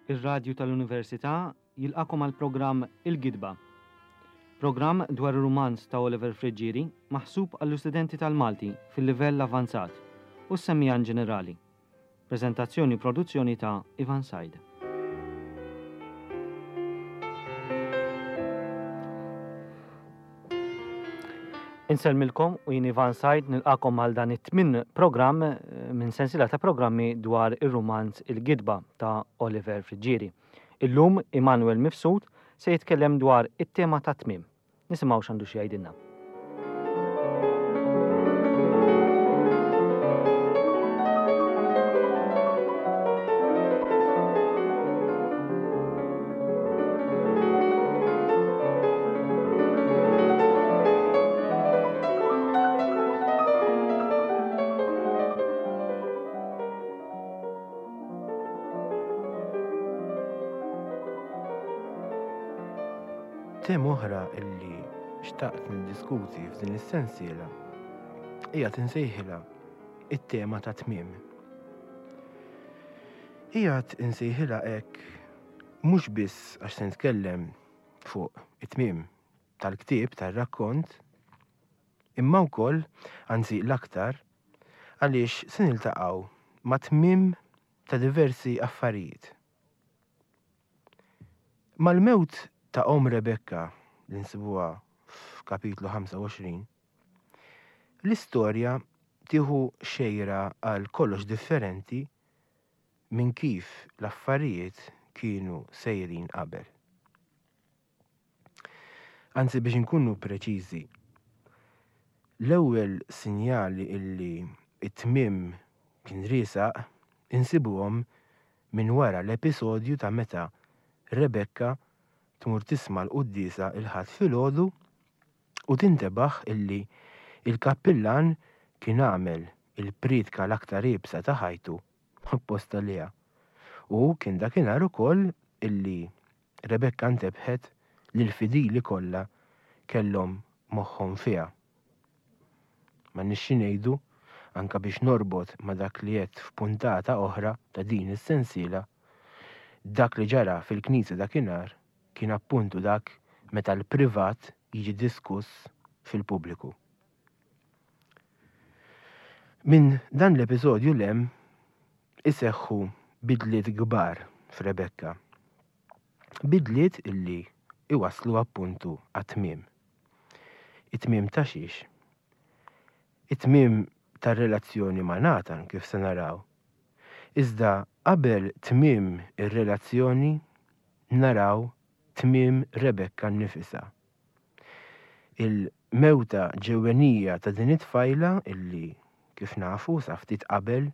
Ir-Radju tal-Università jilqagħkom għall-programm Il-Gidba. Programm dwar ir-rumanz ta' Oliver Friggieri maħsub għall-istudenti tal-Malti fil-livell avvanzat u s-semmiegħa inġenerali. Preżentazzjoni u produzzjoni ta' Ivan Said. Insellmilkom u jien Ivan Said nilqakom għal dan it-tmien programm eh, minn sensiela ta' programmi dwar ir-rumanz Il-Gidba ta' Oliver Friggieri. Illum Immanuel Mifsud se jitkellem dwar it-tema ta' tmiem. Nisimgħu x'għandu xi jgħidilna. Tema oħra illi xtaqt niddiskuti f'din is-sensiela hija tinsejħilha it-tema ta' tmiem. Qiegħed insejħilha hekk mhux biss għax se nitkellem fuq it-tmiem tal-ktieb tar-rakkont, imma wkoll, anzi l-aktar, għaliex se niltaqgħu ma' tmiem ta' diversi affarijiet. Mal-mewt ta' omm Rebekka li nsibuha f'kapitlu 25, l-istorja tieħu xejra għal kollox differenti minn kif l-affarijiet kienu sejrin qabel. Anzi biex inkunu preċiżi, l-ewwel sinjali illi t-tmiem kien riesaq insibuhom minn wara l-episodju ta' meta Rebekka tmur tisma' l-quddiesa l-Ħadd filgħodu u tintebaħ illi l-kappillan kien għamel il-prietka l-aktar iebsa ta' ħajtu apposta għaliha. U kien dakinhar ukoll illi Rebekka ntebħet li l-fidili kollha kellhom moħħhom fiha. M'għandniex xi ngħidu, anke biex norbot ma' dak li għedt f'puntata oħra ta' din is-sensiela, dak li ġara fil-knisja dakinhar kien appuntu dak meta l-privat jiġi diskuss fil-pubbliku. Minn dan l-episodju 'l hemm iseħħu bidliet kbar f'Rebekka. Bidliet illi iwasslu appuntu għat-tmiem. It-tmiem ta' xiex? It-tmiem tar-relazzjoni ma' Nathan kif se naraw. Iżda qabel tmiem ir-relazzjoni naraw tmiem Rebekka nnifisha. Il-mewta ġewwenija ta' din it-tfajla illi, kif nafu, sa ftit qabel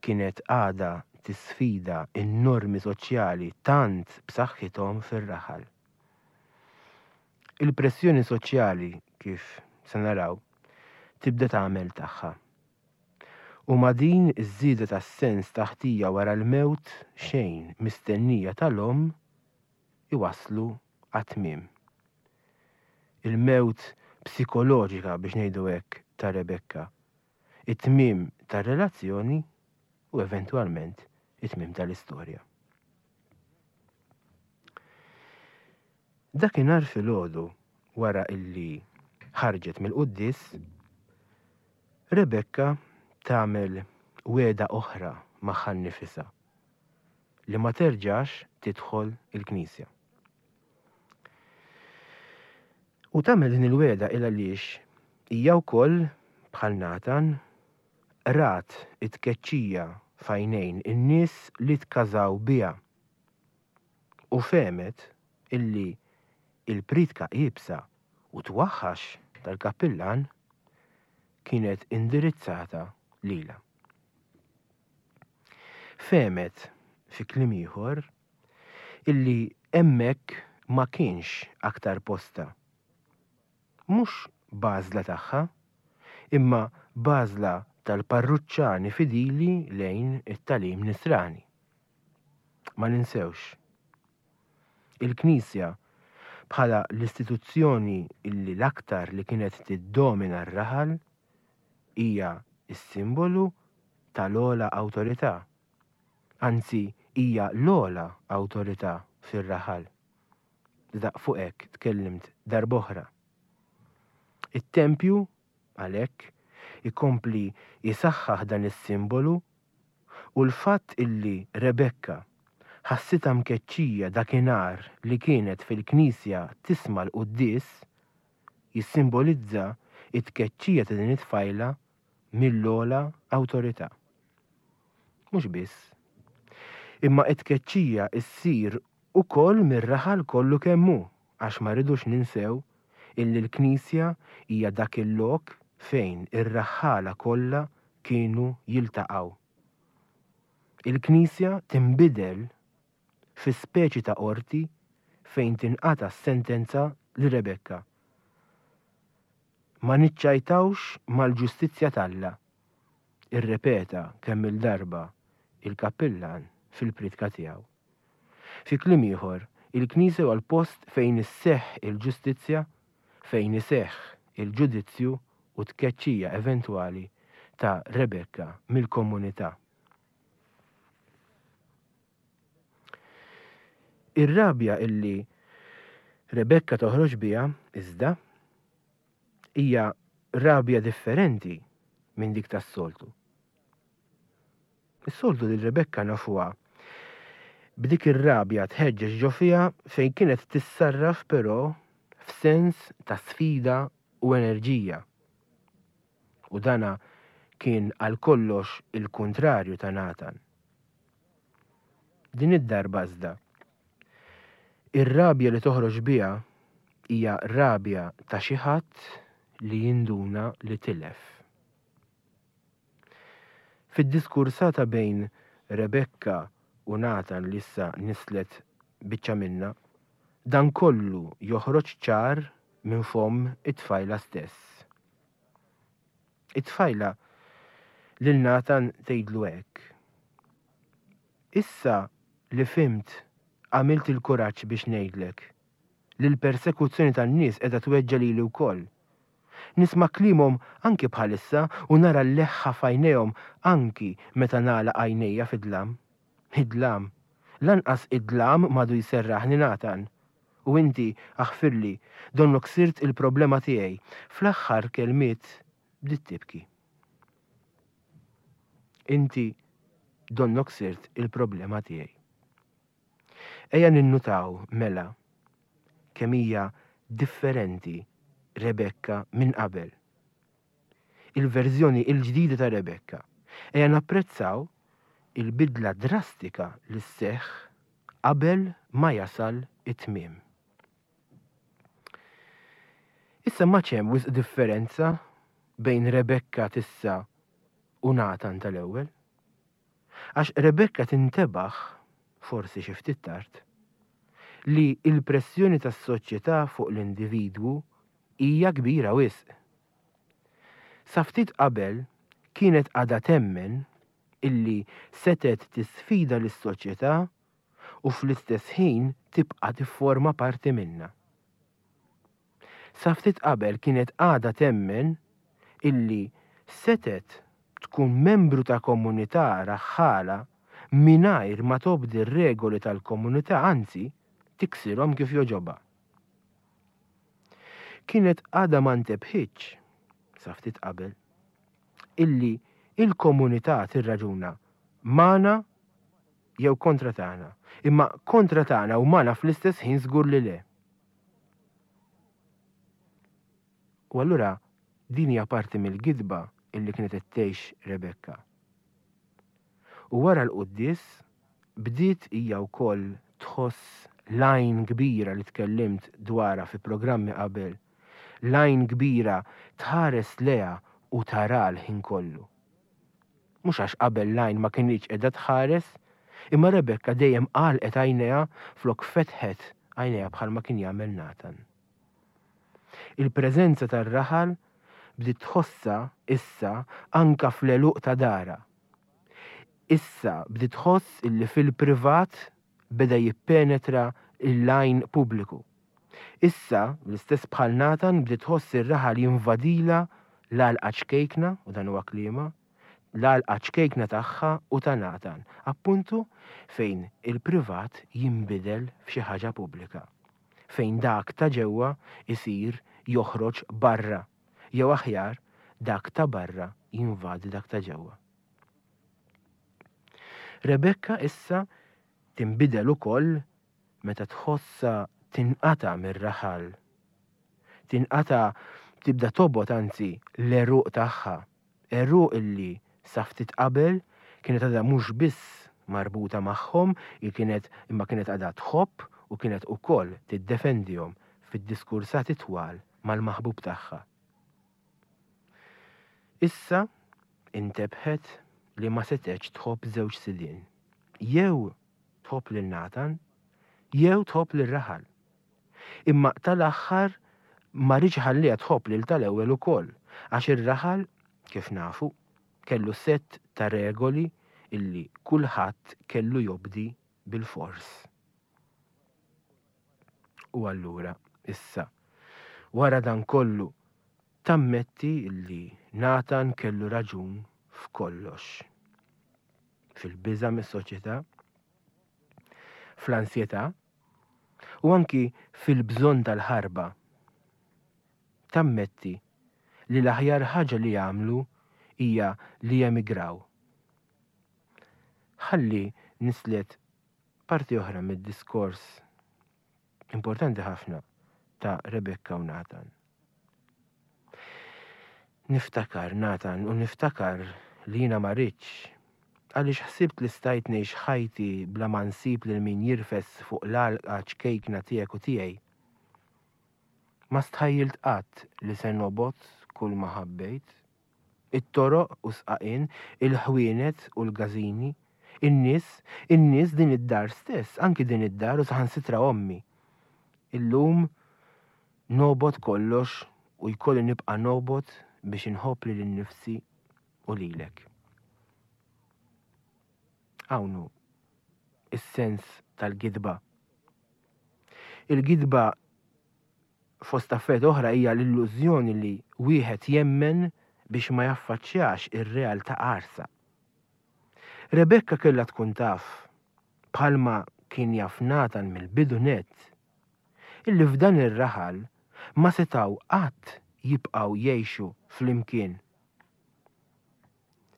kienet għadha tisfida n-normi soċjali tant b'saħħithom fir-raħal. Il-pressjoni soċjali, kif se naraw, tibda tagħmel tagħha. U ma' din iż-żieda tas-sens ta' ħtija wara l-mewt xejn mistennija tal-omm iwasslu għat-tmiem. Il-mewt psikoloġika biex ngħidu hekk ta' Rebekka, it-tmiem tar-relazzjoni u eventwalment it-tmiem tal-istorja. Dakinhar filgħodu wara illi ħarġet mill-quddies, Rebekka tagħmel wegħda oħra magħha nnifisha li ma terġax tidħol il-knisja. U tagħmel din il-wegħda il għaliex hija wkoll bħal Natan rat it-tkeċċija f'għajnejn in-nies li tkażaw biha u fehmet illi il-priedka iebsa u twaħħax tal-kappillan kienet indirizzata lilha. Fehmet, fi kliem ieħor, illi hemmhekk ma kienx aktar postha. Mhux b'għażla tagħha, imma b'għażla tal-parruċċani fidili lejn it-tagħlim Nisrani. Ma ninsewx, il-Knisja bħala l-istituzzjoni illi l-aktar li kienet tiddomina r-raħal hija s-simbolu tal-ogħla awtorità. Anzi, hija l-ogħla awtorità fir-raħal. Iżda fuq hekk tkellimt darb'oħra. It-tempju, għalhekk, ikompli jsaħħaħ dan is-simbolu u l-fatt illi Rebekka ħassitha mkeċċija dakinhar li kienet fil-knisja tisma' l-quddies jissimbolizza t-tkeċċija ta' din it-tfajla mill-ogħla awtorità. Mhux biss, imma t-tkeċċija ssir ukoll mir-raħal kollu kemm hu għax ma rridux ninsew illi l-knisja hija dak il-lok fejn ir-raħħala kollha kienu jiltaqgħu. Il-knisja tinbidel fi speċi ta' qorti fejn tinqata' s-sentenza lil Rebekka. Ma niċċajtawx mal-ġustizzja t'Alla, irrepeta kemm-il darba il-kappillan fil-priedka tiegħu. Fi kliem ieħor, il-Knisja huwa l-post fejn isseħħ il-ġustizzja, fejn iseħħ il-ġudizzju u t-tkeċċija eventwali ta' Rebekka mill-komunità. Ir-rabja illi Rebekka toħroġ biha, iżda, hija rabja differenti minn dik tas-soltu. Is-soltu lil Rebekka nafuha b'dik ir-rabja tħeġġeġ ġo fiha fejn kienet tissarraf però f'sens ta' sfida u enerġija. U dana kien għal kollox il-kuntrarju ta' Natan. Din id-darba iżda, ir-rabja li toħroġ biha hija rabja ta' xi ħadd li jinduna li tilef. Fid-diskursata bejn Rebekka u Natan li issa nislet biċċa minnha, dan kollu joħroġ ċar minn fomm it-tfajla stess. It-tfajla lil Natan tgħidlu hekk, Issa li fhimt għamilt il-kuraġġ biex ngħidlek li l-persekuzzjoni tan-nies qiegħda tweġġa' lili wkoll. Nisma' kliemhom anki bħalissa u nara l-leħħa f'għajnejhom anki meta nagħlaq għajnejja fid-dlam. Id-dlam. Lanqas id-dlam m'għadu jserraħni Nathan. U inti, aħfirli, donnok sirt il-problema tiegħi. Fl-aħħar kelmiet bdiet tibki. Inti donnok sirt il-problema tiegħi. Ejja ninnutaw, mela, kemm hija differenti Rebekka minn qabel. Il-verżjoni l-ġdida ta' Rebekka. Ejja napprezzaw il-bidla drastika li sseħħ qabel ma jasal it-tmiem. Issa m'għadx hemm wisq differenza bejn Rebekka t'issa u Natan tal-ewwel. Għax Rebekka tintebaħ, forsi xi ftit tard, li l-pressjoni tas-soċjetà fuq l-individwu hija kbira wisq. Sa ftit qabel kienet għadha temmen illi setgħet tisfida lis-soċjetà u fl-istess ħin tibqa' tifforma parti minnha. Sa ftit qabel kienet għadha temmen illi setgħet tkun membru ta' komunità raħħala mingħajr ma tobdi r-regoli tal-komunità anzi tiksirhom kif jogħġobha. Kienet għadha ma ntebħitx, sa ftit qabel, illi il-komunità tirraġuna magħna jew kontra tagħna, imma kontra tagħna u magħna fl-istess ħin żgur li le. U allura din hija parti mill-gidba illi kienet qed tgħix Rebekka. U wara l-quddies bdiet hija wkoll tħoss l-għajn kbira li tkellimt dwarha fi programmi qabel, l-għajn kbira tħares lejha u tara l-ħin kollu. Mhux għax qabel l-għajn ma kinitx qiegħda tħares, imma Rebekka dejjem għalqet għajnejha flok fetħet għajnejha bħalma kien jagħmel Natan. Il-preżenza tar-raħal bdiet tħossha issa anka fl-għeluq ta' darha. Issa bdiet tħoss illi fil-privat beda jippenetra l-għajn pubbliku. Issa, l-istess bħal Natan bdiet tħoss ir-raħal jinvadilha l-għalqa ċkejkna, u dan huwa kliemha, L-għalqa ċkejkna tagħha u ta' Nathan, appuntu fejn il-privat jinbidel f'xi ħaġa pubblika. Fejn dak ta' ġewwa jsir joħroġ barra, jew aħjar dak ta' barra jinvadi dak ta' ġewwa. Rebecca issa tinbidel ukoll meta tħossha tinqata' mir-raħal. Tinqata' tibda tobgħod anzi l-għeruq tagħha, għeruq illi sa ftit qabel kienet għadha mhux biss marbuta magħhom, hi kienet imma kienet għadha tħobb u kienet ukoll tiddefendihom fid-diskursati twal mal-maħbub tagħha. Issa intebħet li ma setgħetx tħobb żewġ sidien. Jew tħobb lil Nathan, jew tħobb lir-raħal. Imma tal-aħħar ma riedx iħalliha tħobb lil tal-ewwel ukoll, għax ir-raħal, kif nafu, kellu sett ta' regoli illi kulħadd kellu jobdi bilfors. U allura, issa, wara dan kollu, tammetti illi Nathan kellu raġun f'kollox. Fil-biża' mis-soċjetà, fl-ansjetà, u anki fil-bżonn tal-ħarba. Tammetti li l-aħjar ħaġa li jagħmlu hija li jemigraw. Ħalli nislet parti oħra mid-diskors importanti ħafna ta' Rebecca u Nathan. Niftakar, Nathan, u niftakar li jiena ma ridtx, għaliex ħsibt li stajt ngħix ħajti bla ma nsib lil min jirfes fuq l-għalqa ċkejkna tiegħek u tiegħi. Ma stħajjilt qatt li se nobgħod kull ma ħabbejt. It-toroq u s-sqaqien, il-ħwienet u l-gażini, in-nies, in-nies din id-dar stess, anki din id-dar u saħansitra ommi. Illum nobgħod kollox u jkolli nibqa' nobgħod biex inħobb lili nnifsi u lilek. Hawn hu is-sens tal-gidba. Il-gidba fost affarijiet oħra hija l-illużjoni li wieħed jemmen biex ma jaffaċċjax ir-realtà qarsa. Rebekka kellha tkun taf, bħalma kien jaf Natan mill-bidu nett, illi f'dan ir-raħal ma setgħu qatt jibqgħu jgħixu flimkien.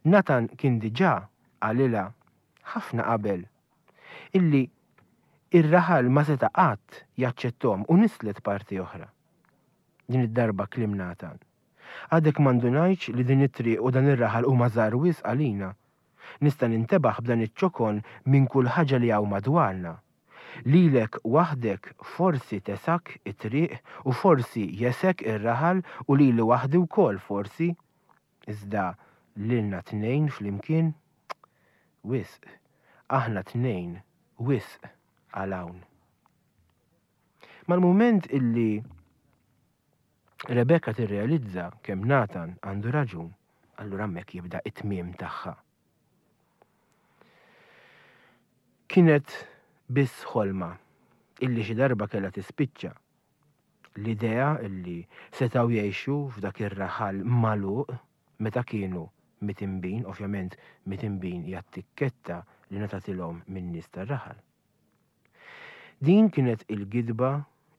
Natan kien diġà qalilha ħafna qabel illi r-raħal ma seta' qatt jaċċetthom u nislet parti oħra. Din id-darba kliem Natan. Għadek ma ndunajtx li din it-triq u dan ir-raħal huma żgħar wisq għalina. Nista' nintebaħ b'dan iċ-ċokon minn kull ħaġa li hawn madwarna. Lilek waħdek forsi tesgħek it-triq u forsi jesgħek ir-raħal u lili waħdi wkoll forsi. Iżda lilna tnejn flimkien? Wisq. Aħna tnejn wisq għal hawn. Mal-mument illi Rebecca tirrealizza kemm Nathan għandu raġun, allura hemmhekk jibda it-tmiem tagħha. Kienet biss ħolma illi xi darba kellha tispiċċa L-idea li setgħu jgħixu f'dak ir-raħal magħluq meta kienu mitinbin, ovvjament mitinbin hija t-tikketta li ngħatatilhom min-nies tar-raħal. Din kienet il-gidba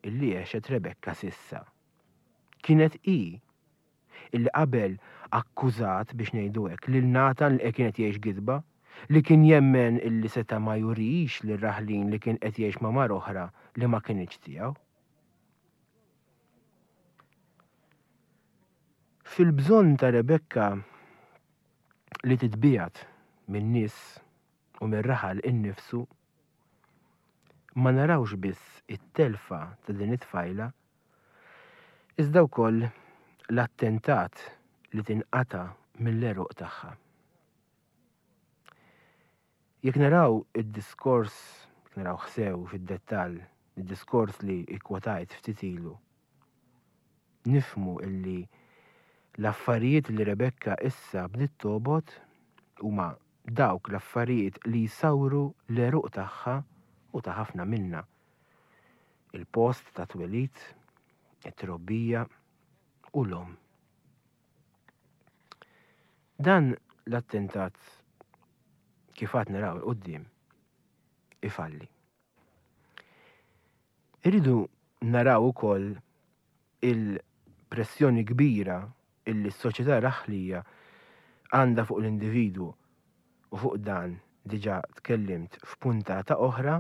li għexet Rebekka s'issa. Kienet hi illi qabel akkużat, biex ngħidu hekk, lil Natan li kien qed jgħix gidba, li kien jemmen illi seta' ma jurix lir-raħlin li kien qed jgħix ma' mara oħra li ma kinitx tiegħu. Fil-bżonn ta' Rebekka li titbiegħed min-nies u mir-raħal innifsu, ma narawx biss it-telfa ta' din it-tfajla, iżda wkoll l-attentat li tinqata' mill-għeruq tagħha. Jekk naraw id-diskors, jekk narawh sew fid-dettall, id-diskors li ikkwotajt ftit ilu, nifhmu illi l-affarijiet li Rebekka issa bdiet tobgħod huma dawk l-affarijiet li jsawru l-għeruq tagħha u ta' ħafna minna. Il-post ta' twelid, it-trobbija u l-omm. Dan l-attentat kif għad naraw 'il quddiem ifalli. Irridu naraw ukoll il-pressjoni kbira illi s-soċjetà raħlija għandha fuq l-individwu u fuq dan diġà tkellimt f'puntata oħra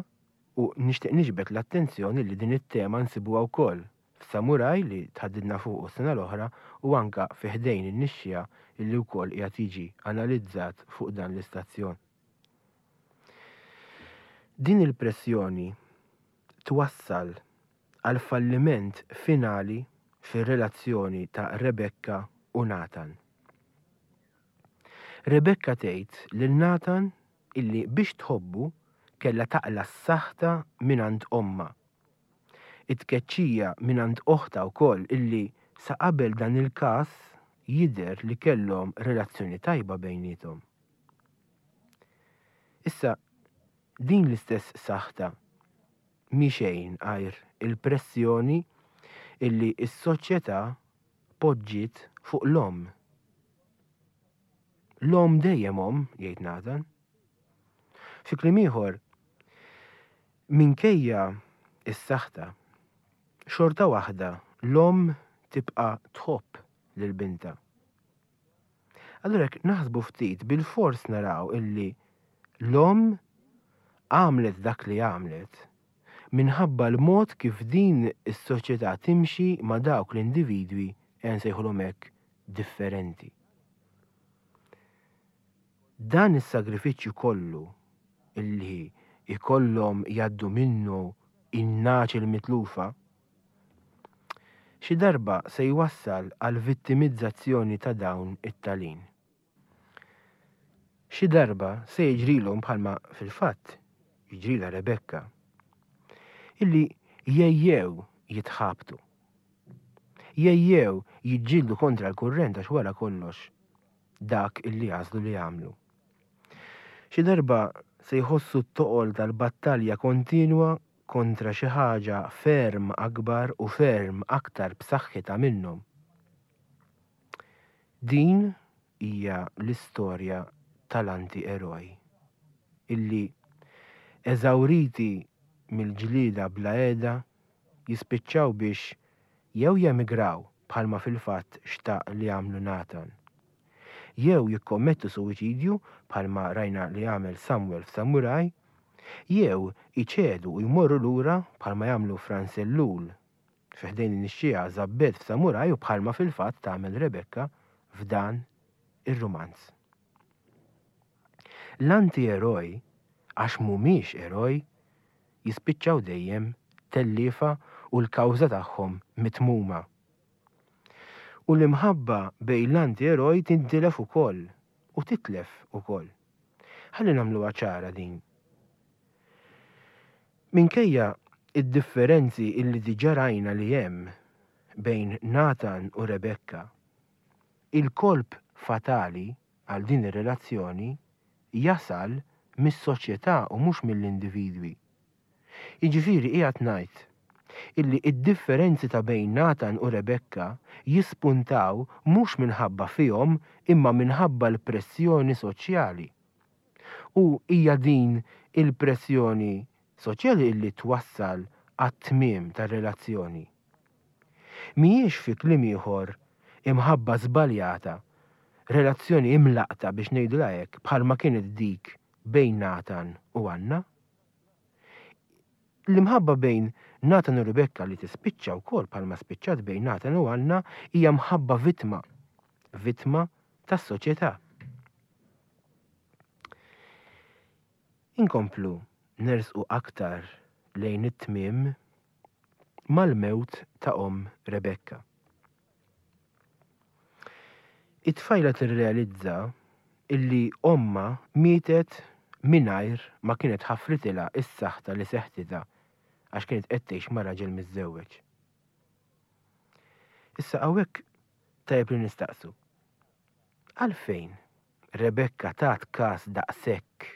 u nixtieq niġbed l-attenzjoni li din it-tema nsibuha wkoll f'Samuraj li tħaddidna fuqu s-sena l-oħra u anka fi Ħdejn in-Nixxiegħa illi wkoll qiegħed jiġi analizzat fuq dan l-istazzjon. Din il-pressjoni twassal għal falliment finali fir-relazzjoni ta' Rebekka u Nathan. Rebekka tgħid lil Nathan illi biex tħobbu kellha taqla' s-saħta mingħand ommha. It-tkeċċija mingħand oħtha wkoll illi sa qabel dan il-każ jidher li kellhom relazzjoni tajba bejniethom. Issa, din l-istess saħta mhi xejn għajr il-pressjoni illi s-soċjetà poġġiet fuq l-omm. L-omm dejjem omm, jgħid Nathan. Fi kliem ieħor, minkejja s-saħta, xorta waħda l-omm tibqa' tħobb lil bintha. Allura jekk naħsbu ftit bilfors naraw illi l-omm għamlet dak li għamlet minħabba l-mod kif din is-soċjetà timxi ma' dawk l-individwi, ejja nsejħulhom hekk, differenti. Dan is-sagrifiċċju kollu illi jkollhom jgħaddu minnu in-nagħaġ il-mitlufa, xi darba se jwassal għall-vittimizzazzjoni ta' dawn it-talin. Xi darba se jiġrilhom bħalma fil-fatt jiġrilha Rebekka, illi jgħejjew jitħabtu. Jgħejjew jiġġieldu kontra l-kurrent għax wara kollox dak illi għażlu li jagħmlu. Xi darba se jħossu t-toqol tal-battalja kontinwa kontra xi ħaġa ferm akbar u ferm aktar b'saħħitha minnhom. Din hija l-istorja tal-anti-eroj, illi, eżawriti mill-ġlieda bla heda, jispiċċaw biex jew jemigraw bħalma fil-fatt xtaq li jagħmlu Nathan, jew jikkommettu suwiċidju bħalma rajna li għamel Samuel f'Samuraj, jew iċedu u jmorru lura bħalma jagħmlu Frans Ellul Fi ħdejn in-nixxiegħa Żabbet f'Samuraj u bħalma fil-fatt tagħmel Rebecca f'dan ir-rumanz. L-anti-eroj, għax mhumiex eroj, jispiċċaw dejjem telliefa u l-kawża tagħhom mitmuma. U l-imħabba bejn l-anti-eroj tintilef ukoll u titlef ukoll. Ħalli nagħmluha ċara din. Minkejja d-differenzi illi diġà rajna li hemm bejn Nathan u Rebekka, il-kolp fatali għal din ir-relazzjoni jasal mis-soċjetà u mhux mill-individwi. Jiġifieri qiegħed ngħid illi d-differenzi ta' bejn Nathan u Rebekka jispuntaw mhux minħabba fihom imma minħabba l-pressjoni soċjali. U hija din il-pressjoni soċjali illi twassal għat-tmiem tar-relazzjoni. Mhijiex fi kliem ieħor imħabba żbaljata, relazzjoni imlaqqta biex ngħidulha hekk bħalma kienet dik bejn Nathan u Anna. L-imħabba bejn Nathan u Rebekka li tispiċċa wkoll bħalma spiċċat bejn Nathan u Anna hija mħabba vittma, vittma tas-soċjetà. Inkomplu nersqu aktar lejn it-tmiem mal-mewt ta' omm Rebekka. It-tfajla tirrealizza illi ommha mietet mingħajr ma kienet ħaffritilha s-saħta li seħtitha għax kienet qed tgħix ma' raġel miżżewweġ. Issa hawnhekk tajjeb li nistaqsu. Għalfejn Rebekka tat kas daqshekk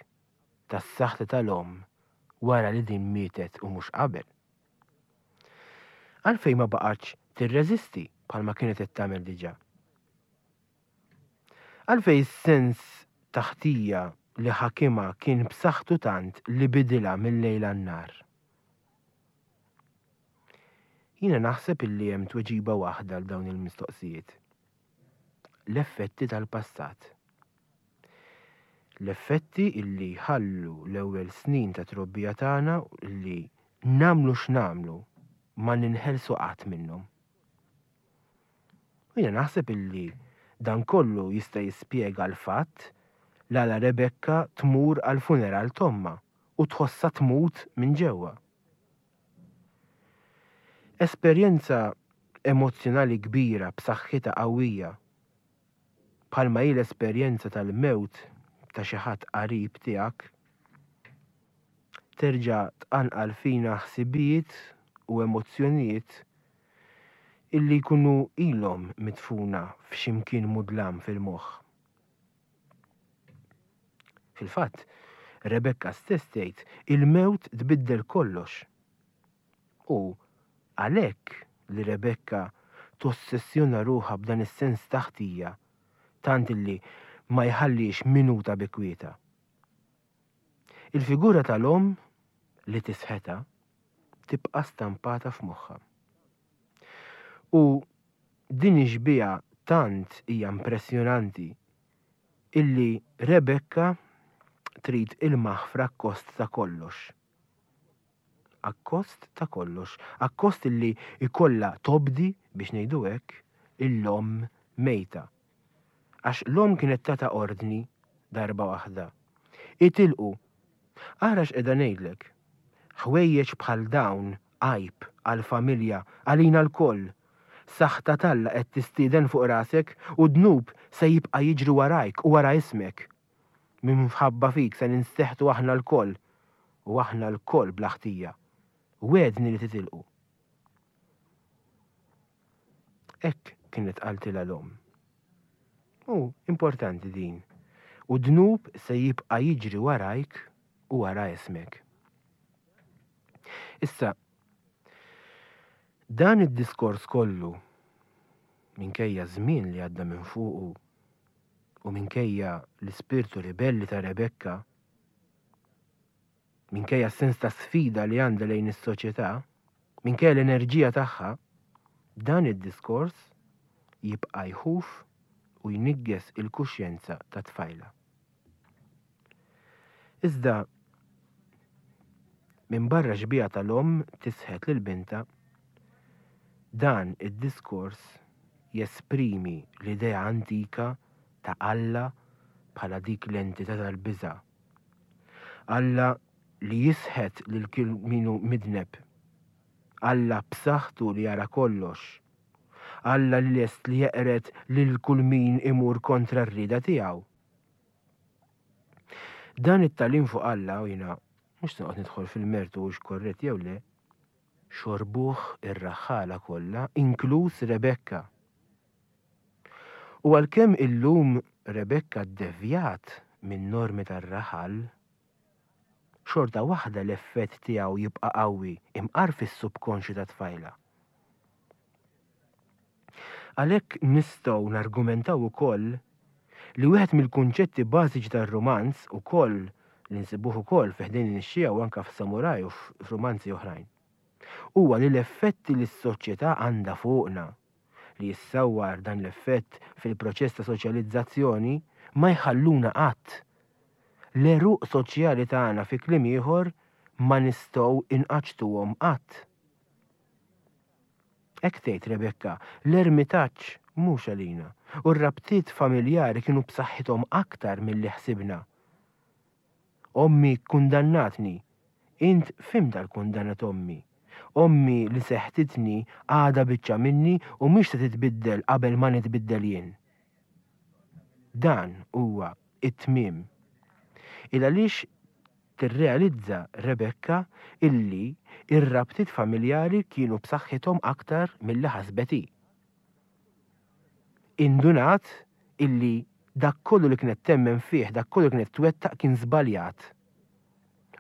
tas-saħta tal-omm wara li din mietet u mhux qabel? Għalfejn ma baqgħetx tirreżisti bħalma kienet qed tagħmel diġà? Għalfejn is-sens ta' ħtija li ħakimha kien b'saħħtu tant li bidilha mil-lejl għan-nhar? Jiena naħseb illi hemm tweġiba waħda għal dawn il-mistoqsijiet. L-effetti tal-passat. L-effetti illi jħallu l-ewwel snin ta' trobbija tagħna illi nagħmlu x'nagħmlu ma ninħelsu qatt minnhom. U jiena naħseb illi dan kollu jista' jispjega l-fatt l-għala Rebecca tmur għall-funeral t'ommha u tħossha tmut minn ġewwa. Esperjenza emozzjonali kbira b'saħħitha qawwija, bħalma hi l-esperjenza tal-mewt ta' xi ħadd qarib tiegħek, terġa' tqanqal fina ħsibijiet u emozzjonijiet illi jkunu ilhom midfuna f'xi mkien mudlam fil-moħħ. Fil-fatt, Rebecca stess tgħid il-mewt tbiddel kollox. U għalhekk li Rebecca tossessjona ruħha b'dan is-sens ta' ħtija tant illi ma jħallix minuta bi kwietha. Il-figura tal-omm li tisħetha tibqa' stampata f'moħħha. U din ix-xbieha tant hija impressjonanti illi Rebecca trid il-maħfra akkost ta' kollox. Akkost ta' kollox. Akkost illi jkollha tobdi, biex ngħidu hekk, il-omm mejta. Għax l-omm kienet tatha ordni darba waħda. Itilqu. Ara x'qiegħda ngħidlek. Ħwejjeġ bħal dawn għajb għall-familja, għalina lkoll. Saħta t'Alla qed tistieden fuq rasek u d-dnub se jibqa' jiġri warajk u wara ismek. Minħabba fik se ninsteħtu aħna lkoll, u aħna lkoll bla ħtija. Wegħedni li titilqu. Hekk kienet qaltilha l-omm. U importanti din. U d-dnub se jibqa' jiġri warajk u wara ismek. Issa, dan id-diskors kollu, minkejja ż-żmien li għadda minn fuqu u minkejja l-ispirtu ribelli ta' Rebecca, minkejja s-sens ta' sfida li għandha lejn is-soċjetà, minkejja l-enerġija tagħha, dan id-diskors jibqa' jħuf u jniggeż il-kuxjenza tat-tfajla. Iżda, minbarra x-xbieha tal-omm tisħet lil bintha, dan id-diskors jesprimi l-idea antika ta' Alla bħala dik l-entità tal-biża'. Alla li jisħet lil kull min hu midneb. Alla b'saħħtu li jara kollox. Alla li lest li jeqred lil kull min imur kontra r-rieda tiegħu. Dan it-tagħlim fuq Alla, u jiena mhux se noqgħod nidħol fil-mertu hux korrett jew le, xorbuh ir-raħħala kollha, inkluż Rebekka. U għalkemm illum Rebekka ddevjat min-normi tar-raħal, xorta waħda l-effett tiegħu jibqa' qawwi imqar fis-subkonxju tat-tfajla. Għalhekk nistgħu nargumentaw ukoll li wieħed mill-kunċetti bażiċi tar-rumanz ukoll li nsibuh ukoll fi Ħdejn in-Nixxiegħa u anke f'Samuraj u f'rumanzi oħrajn huwa li l-effetti li s-soċjetà għandha fuqna, li jissawwar dan l-effett fil-proċess ta' soċjalizzazzjoni, ma jħalluna qatt. L-għeruq soċjali tagħna fi kliem ieħor ma nistgħu inqaċċtuhom qatt. Hekk tgħid Rebecca, l-ermitaġġ mhux għalina, u r-rabtiet familjari kienu b'saħħithom aktar milli ħsibna. Ommi kkundannatni. Int fhimtha l-kundanna t'ommi. Ommi li seħtitni għadha biċċa minni u mhix se titbiddel qabel ma nitbiddel jien. Dan huwa t-tmiem. Il għaliex Tirrealizza Rebecca illi r-rabtiet familjari kienu b'saħħithom aktar milli ħasbet hi. Indunat illi dak kollu li kienet temmen fih, dak kollu li kienet twettaq kien żbaljat.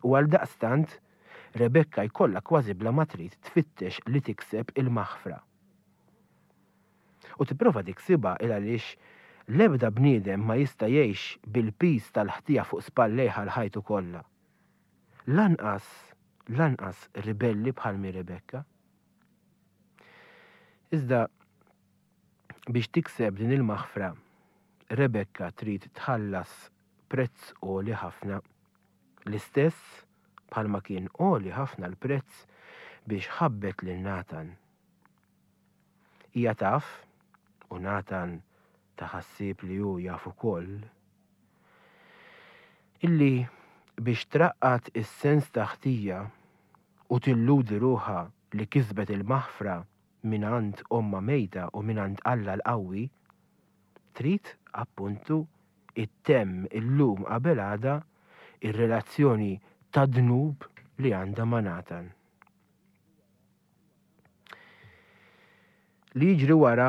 U għaldaqstant, Rebecca jkollha kważi bla ma trid tfittex li tikseb il-maħfra. U tipprova tiksibha il għaliex L-ebda bniedem ma jista' jgħix bil-piż tal-ħtija fuq spallejh għal ħajtu kollha. Lanqas, lanqas ribelli bħal mhi Rebekka. Iżda biex tikseb din il-maħfra, Rebekka trid tħallas prezz għoli ħafna. L-istess bħalma kien għoli ħafna l-prezz biex ħabbet lil Natan. Hija taf, u Natan ta ħassieb li hu jaf ukoll, illi biex traqqad is-sens ta' ħtija u tilludi ruħha li kisbet il-maħfra mingħand ommha mejta u mingħand Alla l-qawwi, trid, appuntu, ittemm illum qabel għada ir-relazzjoni ta' dnub li għandha ma' Natan. Li jiġri wara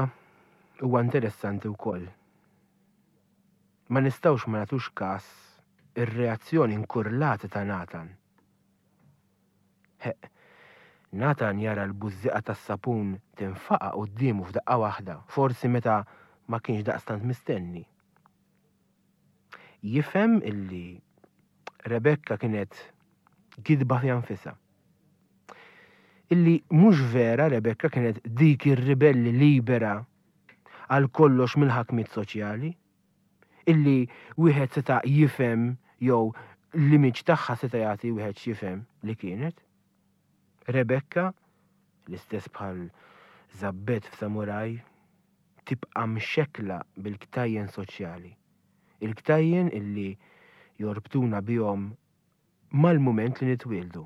huwa interessanti wkoll. Ma nistgħux ma nagħtux każ ir-reazzjoni nkurlata ta' Natan. Heq, Natan jara l-bużżieqa tas-sapun tinfaqa' quddiemu f'daqqa waħda, forsi meta ma kienx daqstant mistenni. Jifhem illi Rebekka kienet gidba fiha nfisha. Illi mhux vera Rebekka kienet dik ir-ribelli libera għal kollox mill-ħakmiet soċjali. Illi wieħed seta' jifhem jew l-image tagħha seta' jagħti wieħed x'jifhem li kienet. Rebekka, l-istess bħal Żabbet f'Samuraj, tibqa' mxekkla bil-ktajjen soċjali. Il-ktajjen illi jorbtuna bihom mal-mument li nitwieldu.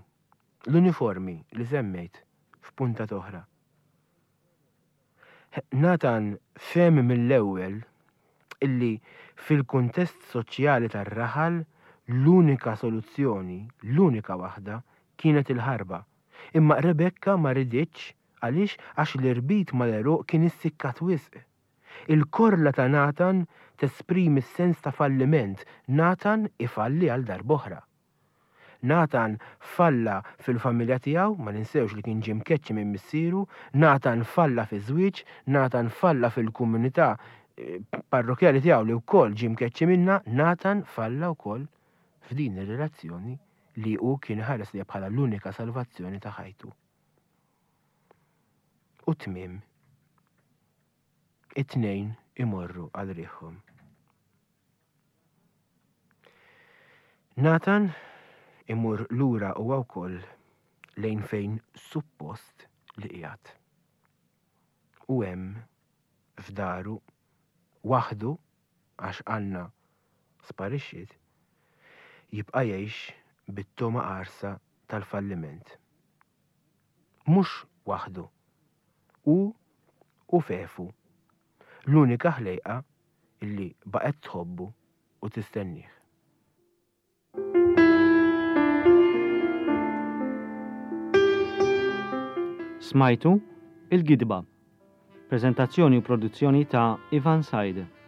L-uniformi li semmejt f'puntat oħra. Nathan fehem mill-ewwel illi fil-kuntest soċjali tar-raħal l-unika soluzzjoni, l-unika waħda, kienet il-ħarba. Imma Rebekka ma riditx għaliex għax l-irbit mal-għeruq kien issikkat wisq. Il-korla ta' Nathan tesprimi s-sens ta' falliment, Nathan ifalli għal darb'oħra. Natan falla fil-familja tiegħu, ma ninsewx li kien ġie mkeċċi minn missieru, Natan falla fiż-żwieġ, Natan falla fil-komunità eh, parrokjali tiegħu li wkoll ġie mkeċċi minnha, Natan falla wkoll f'din ir-relazzjoni li hu kien ħares li bħala l-unika salvazzjoni ta' ħajtu. U tmiem it-tnejn imorru għal riħhom. Nathan imur lura huwa wkoll lejn fejn suppost li qiegħed. U hemm f'daru waħdu għax Anna sparixxiet, jibqa' jgħix bit-togħma qarsa tal-falliment. Mhux waħdu. Hu u Fefu l-unika ħlejqa li baqgħet tħobbu u tistennieh. Smajtu Il-Gidba. Preżentazzjoni u produzzjoni ta' Ivan Said.